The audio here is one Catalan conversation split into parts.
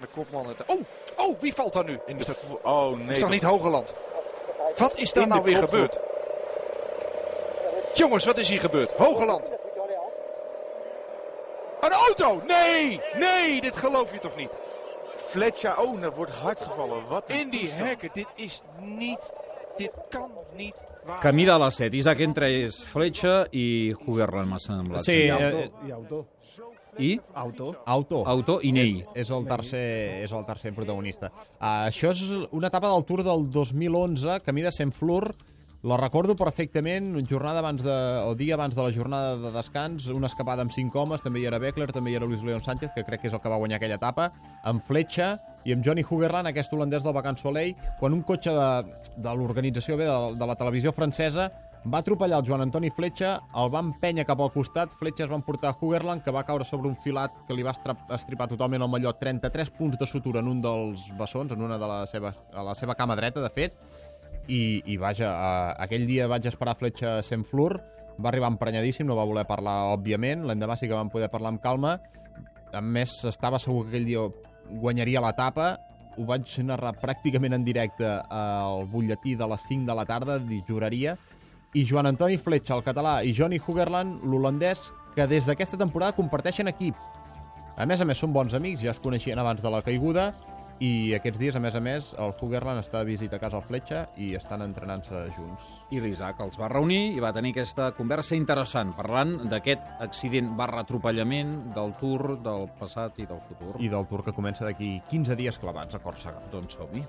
De kopman. Oh, wie valt daar nu? Oh nee. Is toch niet Hogeland? Wat is daar nou weer gebeurd? Jongens, wat is hier gebeurd? Hogeland. Een auto! Nee, dit geloof je toch niet? Fletcher, er wordt hard gevallen. Wat in die hekken, dit kan niet waar Camí de la Set, Isaac entre Fletcher i Hugerland, m'ha semblat. Sí, i Autor. I? Autor i Ney. És el tercer protagonista. Això és una etapa del Tour del 2011, camí de Saint-Flour. La recordo perfectament, dia abans de la jornada de descans, una escapada amb 5 homes, també hi era Beckler, també hi era Luis León Sánchez, que crec que és el que va guanyar aquella etapa, amb Fletcher i amb Johnny Hugerland, aquest holandès del Vacan Soleil, quan un cotxe de l'organització de la televisió francesa va atropellar el Joan Antoni Fletcher, el va empènyer cap al costat, Fletcher es va emportar Hugerland, que va caure sobre un filat que li va estripar totalment el mallot, 33 punts de sutura en un dels bessons, en una de a la seva cama dreta, de fet, i vaja, aquell dia vaig esperar Fletcher a Saint-Flour, va arribar emprenyadíssim, no va voler parlar, òbviament, l'endemà sí que vam poder parlar amb calma, a més estava segur que aquell dia guanyaria l'etapa, ho vaig narrar pràcticament en directe al butlletí de les 5 de la tarda, juraria, i Joan Antoni Fletcher, el català, i Johnny Hugerland, l'holandès, que des d'aquesta temporada comparteixen equip. A més, són bons amics, ja es coneixien abans de la caiguda, i aquests dies, a més, el Hugerland està de visita a casa al Fletcher i estan entrenant-se junts. I l'Isaac els va reunir i va tenir aquesta conversa interessant, parlant d'aquest accident / del Tour del passat i del futur. I del Tour que comença d'aquí 15 dies clavats a Còrsega. Doncs som-hi.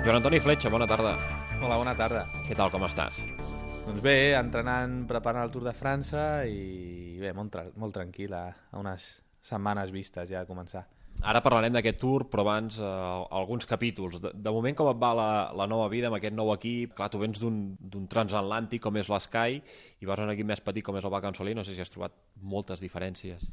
Joan Antoni Fletcher, bona tarda. Hola, bona tarda. Què tal, com estàs? Doncs bé, entrenant, preparant el Tour de França i bé, molt tranquil, a unes setmanes vistes ja a començar. Ara parlarem d'aquest Tour, però abans alguns capítols. De moment, com et va la nova vida amb aquest nou equip? Clar, tu vens d'un transatlàntic com és l'Sky i vas a un equip més petit com és el Vacan Soleil. No sé si has trobat moltes diferències.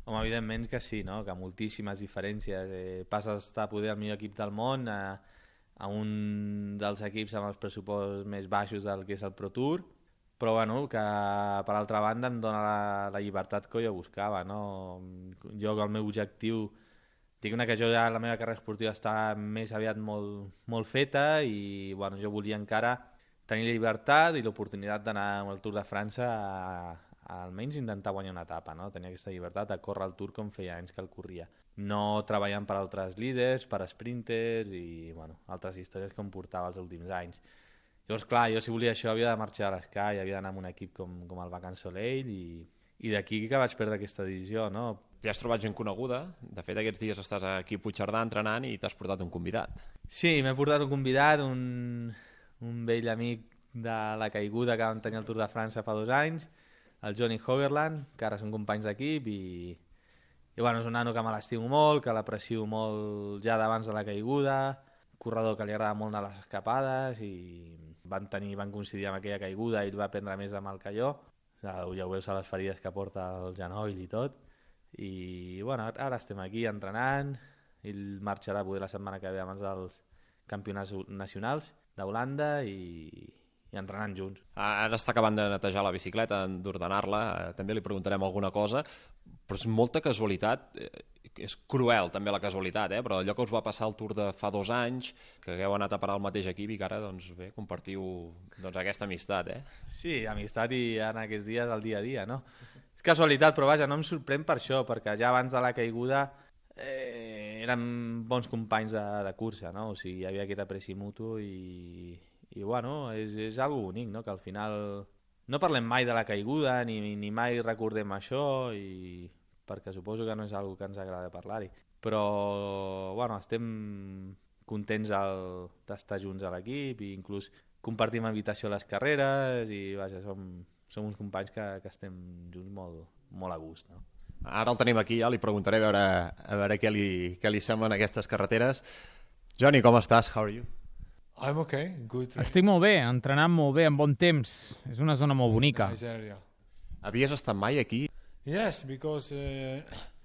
Home, evidentment que sí, no? Que moltíssimes diferències. Passes a estar poder el millor equip del món a un dels equips amb els pressupostos més baixos del que és el Pro Tour, però bueno, que per altra banda em dona la llibertat que jo buscava, no? Jo, el meu objectiu, diguem que jo ja la meva carrera esportiva està més aviat molt feta i bueno, jo volia encara tenir la llibertat i l'oportunitat d'anar al Tour de França a almenys intentar guanyar una etapa, no? Tenir aquesta llibertat a córrer el Tour com feia anys que el corria. No treballant per altres líders, per sprinters i bueno, altres històries que em portava els últims anys. Llavors, clar, jo si volia això havia de marxar a l'Sky, havia d'anar amb un equip com el Vacan Soleil i d'aquí que vaig perdre aquesta decisió, no? Ja has trobat gent coneguda, de fet aquests dies estàs aquí a Puigcerdà entrenant i t'has portat un convidat. Sí, m'he portat un convidat, un vell amic de la caiguda que vam tenir al Tour de França fa 2 anys, el Johnny Hugerland, que ara són companys d'equip i bueno, és un nano que me l'estimo molt, que l'aprecio molt ja d'abans de la caiguda, corredor que li agrada molt anar a les escapades i van coincidir amb aquella caiguda i ell va aprendre més de mal que jo. Ja ho veus a les ferides que porta el genoll i tot. I bueno, ara estem aquí entrenant, ell marxarà poder la setmana que ve abans dels campionats nacionals d'Holanda i entrenant junts. Ara està acabant de netejar la bicicleta, d'ordenar-la, també li preguntarem alguna cosa, però és molta casualitat, és cruel també la casualitat, però allò que us va passar al Tour de fa 2 anys, que hagueu anat a parar al mateix equip i que ara doncs, bé, compartiu aquesta amistat. Sí, amistat i en aquests dies el dia a dia, no? És casualitat, però vaja, no em sorprèn per això, perquè ja abans de la caiguda érem bons companys de cursa, no? O sigui, hi havia aquest apreci mutu i bueno, és algo bonic, no? Que al final no parlem mai de la caiguda ni mai recordem això perquè suposo que no és algo que ens agrada parlar-hi, però bueno, estem contents d'estar junts a l'equip i inclús compartim invitació a les carreres i vaja, som uns companys que estem junts molt a gust, no? Ara el tenim aquí, ja li preguntaré a veure què li semblen aquestes carreteres. Johnny, com estàs? How are you? I'm okay, good. Estic molt bé, entrenant molt bé, amb bon temps. És una zona molt bonica. Nice area. Havies estat mai aquí? Yes, because...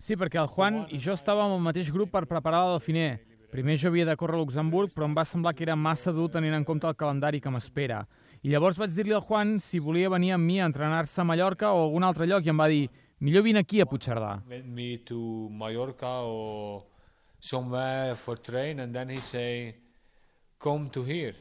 Sí, perquè el Juan i jo estàvem al mateix grup per preparar la Dauphiné. Primer jo havia de córrer a Luxemburg, però em va semblar que era massa dur tenint en compte el calendari que m'espera. I llavors vaig dir-li al Juan si volia venir amb mi a entrenar-se a Mallorca o a algun altre lloc i em va dir millor vine aquí a Puigcerdà. With me to Mallorca or somewhere for train, and then he say, come to here.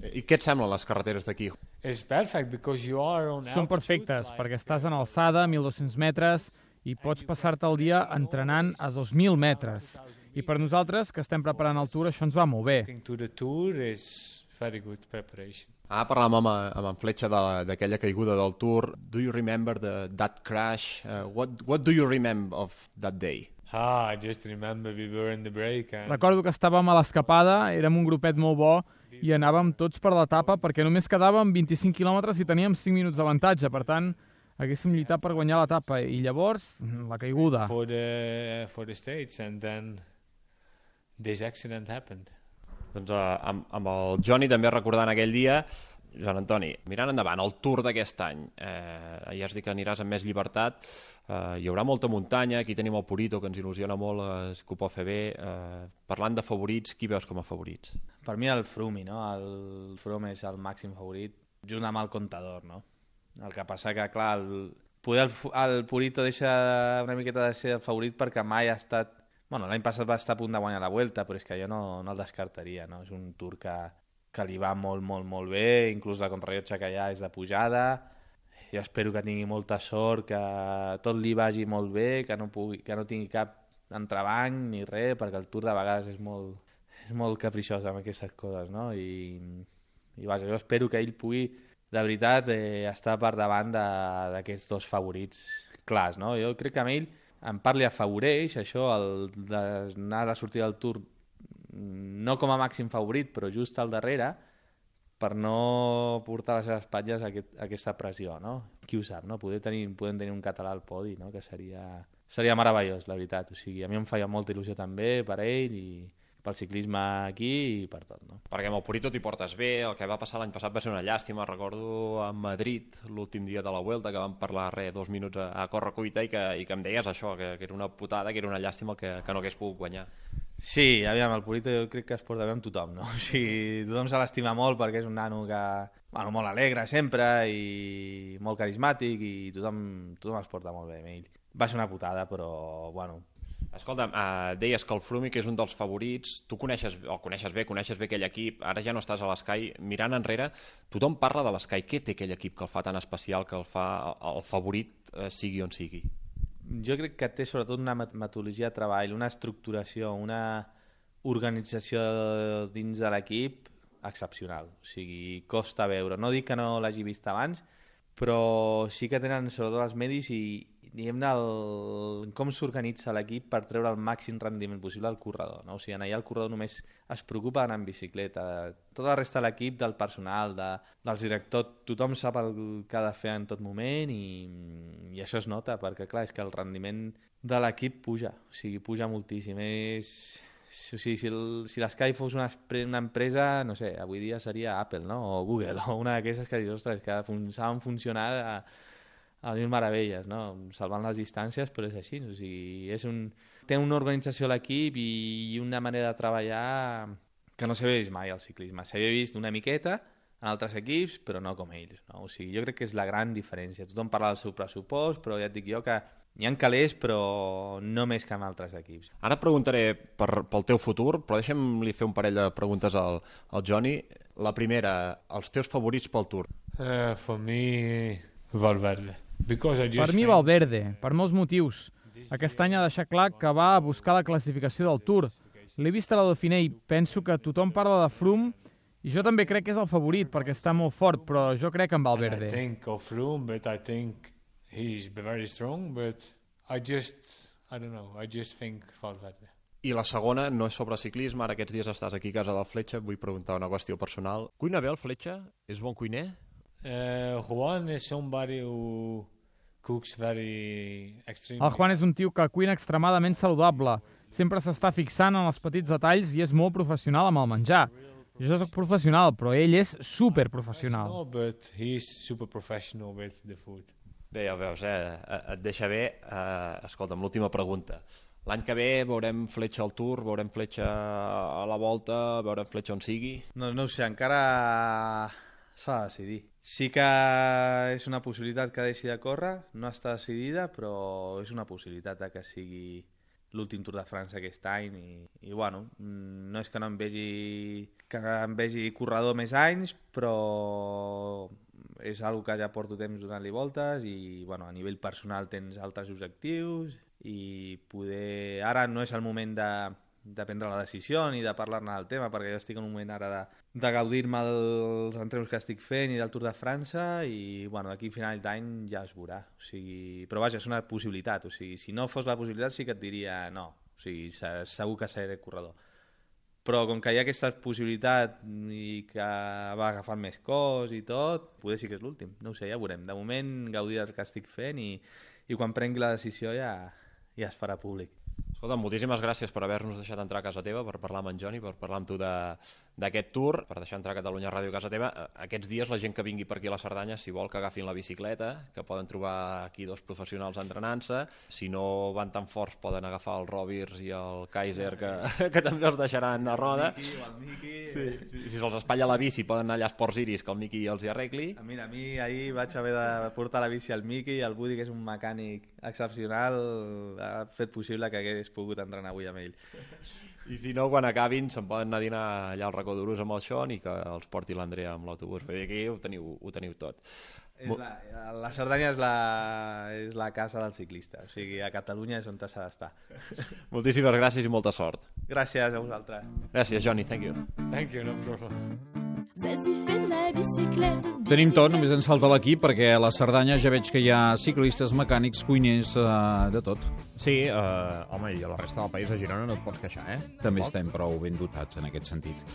I què et semblen les carreteres d'aquí? It's perfect because you are on Són perfectes, perquè estàs en alçada, 1.200 metres, i pots passar-te el dia entrenant a 2.000 metres. I per nosaltres, que estem preparant el Tour, això ens va molt bé. To the Tour is very good preparation. Parlàvem amb en Fletxa d'aquella caiguda del Tour. Do you remember that crash? What do you remember of that day? I just remember we were in the break. Recordo que estàvem a l'escapada, érem un grupet molt bo i anàvem tots per l'etapa perquè només quedàvem 25 quilòmetres i teníem 5 minuts d'avantatge. Per tant, haguéssim lluitat per guanyar l'etapa i llavors la caiguda. For the States, and then this accident happened. Doncs amb el Johnny també recordant aquell dia, Joan Antoni, mirant endavant, el Tour d'aquest any, ja has dit que aniràs amb més llibertat, hi haurà molta muntanya, aquí tenim el Purito, que ens il·lusiona molt, que ho pot fer bé. Parlant de favorits, qui veus com a favorits? Per mi el Froome, no? El Froome és el màxim favorit, junt amb el Contador, no? El que passa que, clar, el Purito deixa una miqueta de ser el favorit perquè mai ha estat... Bueno, l'any passat va estar a punt de guanyar la Vuelta, però és que jo no el descartaria, no? És un Tour que li va molt, molt, molt bé, inclús la contrarrellotge que hi ha és de pujada. Jo espero que tingui molta sort, que tot li vagi molt bé, que no tingui cap entrebanc ni res, perquè el Tour de vegades és molt capriciós amb aquestes coses, no? I vaja, jo espero que ell pugui, de veritat, estar per davant d'aquests dos favorits clars, no? Jo crec que amb ell en part li afavoreix això, d'anar a la sortida del Tour no com a màxim favorit, però just al darrere, per no portar a les seves espatlles aquesta pressió, no? Qui ho sap, no? Podem tenir un català al podi, no? Que seria meravellós, la veritat. O sigui, a mi em feia molta il·lusió també per ell i pel ciclisme aquí i per tot, no? Perquè amb el Purito t'hi portes bé, el que va passar l'any passat va ser una llàstima, recordo a Madrid, l'últim dia de la Vuelta, que vam parlar 2 minuts a corre-cuita i que em deies això, que era una putada, que era una llàstima que no hagués pogut guanyar. Sí, aviam, el Purito jo crec que es porta bé amb tothom, no? O sigui, tothom se l'estima molt perquè és un nano que, bueno, molt alegre sempre i molt carismàtic i tothom es porta molt bé amb ell. Va ser una putada, però, bueno... Escolta, deies que el Froome, que és un dels favorits, tu coneixes bé aquell equip, ara ja no estàs a l'Sky, mirant enrere, tothom parla de l'Sky, què té aquell equip que el fa tan especial, que el fa el favorit sigui on sigui? Jo crec que té sobretot una metodologia de treball, una estructuració, una organització dins de l'equip excepcional. O sigui, costa veure. No dic que no l'hagi vist abans, però sí que tenen sobretot els medis i diguem-ne com s'organitza l'equip per treure el màxim rendiment possible al corredor, no? O sigui, allà el corredor només es preocupa d'anar en bicicleta. Tota la resta de l'equip, del personal, dels directors, tothom sap el que ha de fer en tot moment i això es nota, perquè clar, és que el rendiment de l'equip puja, o sigui, puja moltíssim. O sigui, si l'Sky fos una empresa, no sé, avui dia seria Apple, no? O Google, o una d'aquestes que dius, ostres, que saben funcionar a mil meravelles, no? Salvant les distàncies, però és així. O sigui, té una organització a l'equip i una manera de treballar que no s'havia vist mai al ciclisme. S'havia vist una miqueta en altres equips, però no com ells, no? O sigui, jo crec que és la gran diferència. Tothom parla del seu pressupost, però ja et dic jo que n'hi ha calés, però no més que en altres equips. Ara et preguntaré pel teu futur, però deixa'm-li fer un parell de preguntes al Johnny. La primera, els teus favorits pel Tour? For me, Valverde. Per mi Valverde, per molts motius. Aquest any ha deixat clar que va a buscar la classificació del Tour. L'he vist a la Dauphiné i penso que tothom parla de Froome i jo també crec que és el favorit perquè està molt fort, però jo crec en Valverde. I think of Froome, but I think he's very strong, but I don't know, I just think Valverde. I la segona no és sobre ciclisme, ara aquests dies estàs aquí a casa del Fletxa, vull preguntar una qüestió personal. Cuina bé el Fletxa? És bon cuiner? Juan is somebody who cooks very extremely. El Juan és un tio que cuina extremadament saludable. Sempre s'està fixant en els petits detalls i és molt professional amb el menjar. Jo soc professional, però ell és superprofessional. No, but he's super professional with the food. Bé, ja ho veus, et deixa bé. Escolta'm, l'última pregunta. L'any que ve veurem Fletxa al Tour, veurem Fletxa a la Volta, veurem Fletxa on sigui? No ho sé, encara S'ha de decidir. Sí que és una possibilitat que deixi de córrer, no està decidida, però és una possibilitat de que sigui l'últim Tour de França aquest any i bueno, no és que no em vegi corredor més anys, però és una que ja porto temps donant-li voltes i bueno, a nivell personal tens altres objectius i poder... Ara no és el moment de prendre la decisió ni de parlar-ne del tema, perquè jo estic en un moment ara de gaudir-me dels entrenos que estic fent i del Tour de França i bueno, d'aquí a final d'any ja es veurà. O sigui, però vaja, és una possibilitat. O sigui, si no fos la possibilitat sí que et diria no. O sigui, segur que seré corredor. Però com que hi ha aquesta possibilitat i que va agafant més cos i tot, potser sí que és l'últim. No ho sé, ja veurem. De moment gaudir del que estic fent i quan prengui la decisió ja es farà públic. Escolta, moltíssimes gràcies per haver-nos deixat entrar a casa teva, per parlar amb en Johnny, per parlar amb tu d'aquest tour, per deixar entrar a Catalunya Ràdio a casa teva. Aquests dies la gent que vingui per aquí a la Cerdanya, si vol que agafin la bicicleta, que poden trobar aquí dos professionals entrenant-se. Si no van tan forts poden agafar el Robirs i el Kaiser, que també els deixaran a roda. El Miqui... Sí. Si se'ls espatlla la bici poden anar allà a Esports Iris, que el Miqui els hi arregli. Mira, a mi ahir vaig haver de portar la bici al Miqui, el Budi, que és un mecànic excepcional, ha fet possible que hagués pogut entrenar avui amb ell. I si no, quan acabin se'n poden anar a dinar allà al Racó d'Urús amb el Sean i que els porti l'Andrea amb l'autobús. Vull dir, aquí ho teniu tot. La Cerdanya és la casa del ciclista, o sigui, a Catalunya és on s'ha d'estar. Moltíssimes gràcies i molta sort. Gràcies a vosaltres. Gràcies, Johnny, thank you. Thank you, no problem. Tenim tot, només ens falta l'equip, perquè a la Cerdanya ja veig que hi ha ciclistes, mecànics, cuiners, de tot. Sí, home, i a la resta del país, a Girona, no et pots queixar, eh? També estem prou ben dotats en aquest sentit.